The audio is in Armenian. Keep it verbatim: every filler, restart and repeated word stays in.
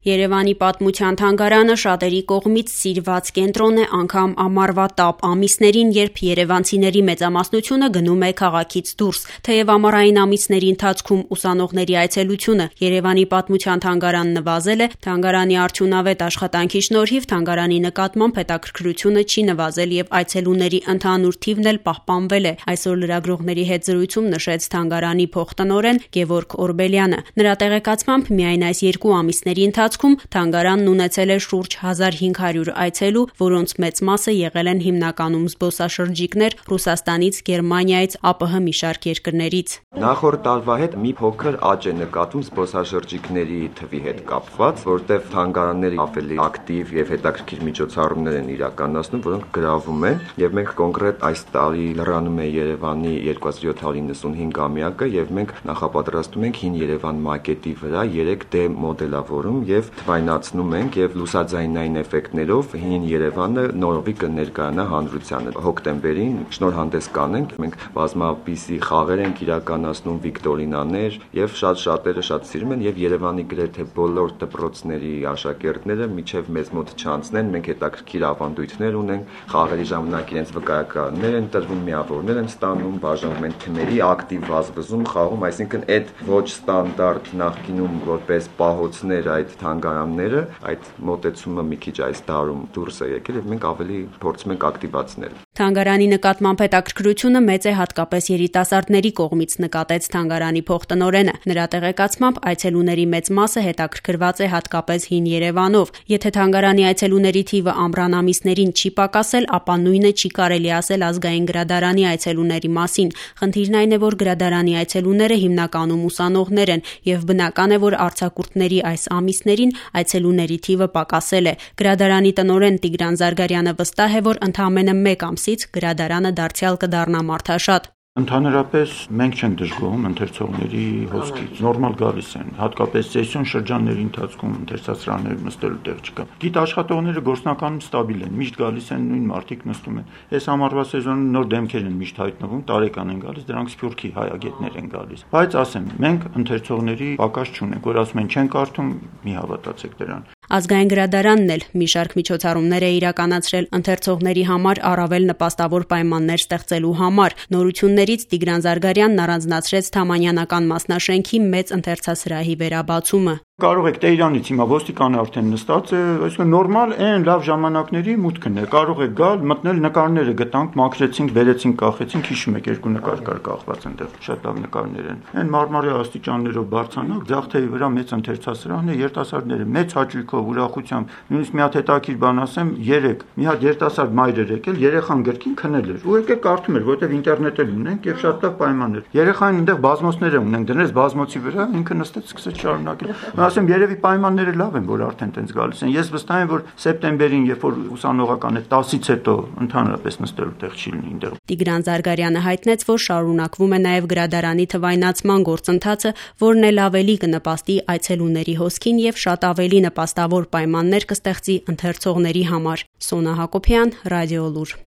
Երևանի պատմության թանգարանը շատերի կողմից սիրված կենտրոն է անգամ ամառվա տապ ամիսներին, երբ երևանցիների մեծամասնությունը գնում է քաղաքից դուրս։ Թեև ամառային ամիսների ընթացքում ուսանողների այցելությունը Երևանի պատմության թանգարան նվազել է, թանգարանի արդյունավետ աշխատանքի շնորհիվ թանգարանի նկատմամբ հետաքրքրությունը չի նվազել եւ այցելուների ընդհանուր թիվն էլ պահպանվել է։ Այսօր լրագրողների հետ զրույցում նշեց թանգարանի փոխտնօրեն Գևորգ Օրբելյանը։ Նրա տեղեկացմամբ միայն այս երկու ամիսների ընթացքում թանգարանն ունեցել է շուրջ հազար հինգ հարյուր այցելու, որոնց մեծ մասը եղել են հիմնականում զբոսաշրջիկներ Ռուսաստանից, Գերմանիայից, ԱՊՀ մի շարք երկրներից։ Նախորդ տարվա հետ մի փոքր աճ է նկատվում զբոսաշրջիկների թվի հետ կապված, որտեղ թանգարանները ավելի ակտիվ եւ հետաքրքիր միջոցառումներ են իրականացնում, որոնք գրավում են, եւ մենք կոնկրետ այս տարի լրանում է Երևանի երկու հազար յոթ հարյուր նվսունհինգամյակը եւ մենք նախապատրաստում ենք Հին Երևան մակետի վրա երեք դե մոդելավորում եւ թվայնացնում ենք եւ լուսաձայնային էֆեկտներով Հին Երևանը նորովի կներկայանա հանրությանը։ Հոկտեմբերին շնորհանդես կանենք, մենք բազմապիսի խաղեր ենք իրականացնում, վիկտորինաներ եւ շատ շատերը շատ սիրում են եւ Երևանի գրեթե բոլոր դպրոցների աշակերտները միջև մեզ մոտ չանցնեն, մենք հետաքրքիր ավանդույթներ ունենք, խաղերի ժամանակ իրենց վկայականներ են տրվում, միավորներ են ստանում, բաժանվում են թմերի, ակտիվ վազվզում, խաղում, այսինքն այդ ոչ ստանդարտ նախկինում որպես պահոցներ այդ թանգարանները, այդ մոտեցումը մի քիչ այս տարում դուրս է եկել եւ մենք ավելի փորձում ենք ակտիվացնել։ Թանգարանի նկատմամբ հետաքրքրությունը մեծ է հատկապես երիտասարդների կողմից, նկատեց թանգարանի փոխտնօրենը։ Նրա տեղեկացմամբ այցելուների մեծ մասը հետաքրքրված է հատկապես Հին Երևանով։ Եթե թանգարանի այցելուների թիվը ամռան ամիսներին չի պակասել, ապա նույնը չի կարելի ասել Ազգային գրադարանի այցելուների մասին։ Խնդիրն այն է, որ գրադարանի այցելուները հիմնականում ուսանողներ են եւ բնական է, որ արձակուրդների այս ամիսներին այցելուների թիվը պակասել է։ Գրադարանի տնօրեն Տիգրան Զարգարյանը վստահ է, որ ընդամենը մեկ ամսից գրադարանը դարձյալ կդառնա մարդաշատ։ Ընդհանրապես մենք չենք դժգոհում ընթերցողների հոսքից, նորմալ գալիս են, հատկապես սեսիոն շրջանների ընթացքում ընթերցասրահներ նստելու տեղ չկա։ Գիտաշխատողները գործնականում ստաբիլ են, միշտ գալիս են նույն մարդիկ նստում են։ Այս ամառվա սեզոնին նոր դեմքեր են միշտ հայտնվում, տարեկան են գալիս, դրանք Սփյուռքի հայագետներ են գալիս։ Բայց ասեմ, մենք ընթերցողների պակաս չունենք, որ ասում են չեն կարդում, մի հավատացեք դրան։ Ազգային գրադարանն էլ մի շարք միջոցառումներ է իրականացրել ընթերցողների համար առավել նպաստավոր պայմաններ ստեղծելու համար։ Նորություններից Տիգրան Զարգարյանն առանձնացրեց Թամանյանական մասնաշենքի մեծ ընթերցասրահի վերաբացումը։ Կարող եք Տեյրանից հիմա ոստիկանը արդեն նստած է, այսինքն նորմալ այն լավ ժամանակների մուտքն է։ Կարող եք գալ, մտնել, նկարները գտանք, մաքրեցինք, բերեցինք, կախեցինք, հիշում եք երկու նկար կար կախված այնտեղ, շատ լավ նկարներ են։ Այն մարմարի աստիճաններով բարձրանալ, ձախ թևի վրա մեծ ընթերցասրահն է, երիտասարդները մեծ հաճույքով, ուրախությամբ, նույնիսկ մի հատ հետաքրքիր բան ասեմ, երեք մի հատ երիտասարդ մայր էր եկել, երեխան գրքին քնել էր։ Ու եկել կարդում էր, որովհետև ինտերնետ էլ ունենք եւ շատ լավ պայմաններ։ Երեխային այնտեղ բազմոցներ ունենք, դրեց բազմոցի վրա, ինքը նստեց, սկսեց շարունակել։ Ասեմ, երևի պայմանները լավ են, որ արդեն տենց գալիս են։ Ես վստահ եմ, որ սեպտեմբերին, երբ որ ուսանողական է տասից հետո ընդհանրապես նստելու տեղ չի լինի այնտեղ։ Տիգրան Զարգարյանը հայտնեց, որ շարունակվում է նաև գրադարանի թվայնացման գործընթացը, որն էլ ավելի կնպաստի այցելուների հոսքին եւ շատ ավելի նպաստավոր պայմաններ կստեղծի ընթերցողների համար։ Սոնա Հակոբյան, Ռադիոլուր։